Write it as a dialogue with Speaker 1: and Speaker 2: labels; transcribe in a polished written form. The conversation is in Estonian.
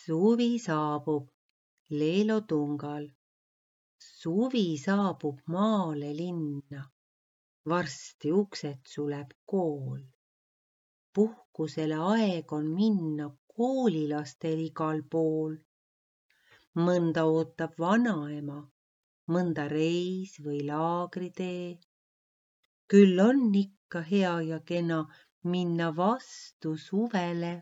Speaker 1: Suvi saabub Leelo Tungal. Suvi saabub maale linna. Varsti uksed suleb kool. Puhkusele aeg on minna koolilastel igal pool. Mõnda ootab vanaema, mõnda reis või laagritee. Küll on ikka hea ja kena minna vastu suvele.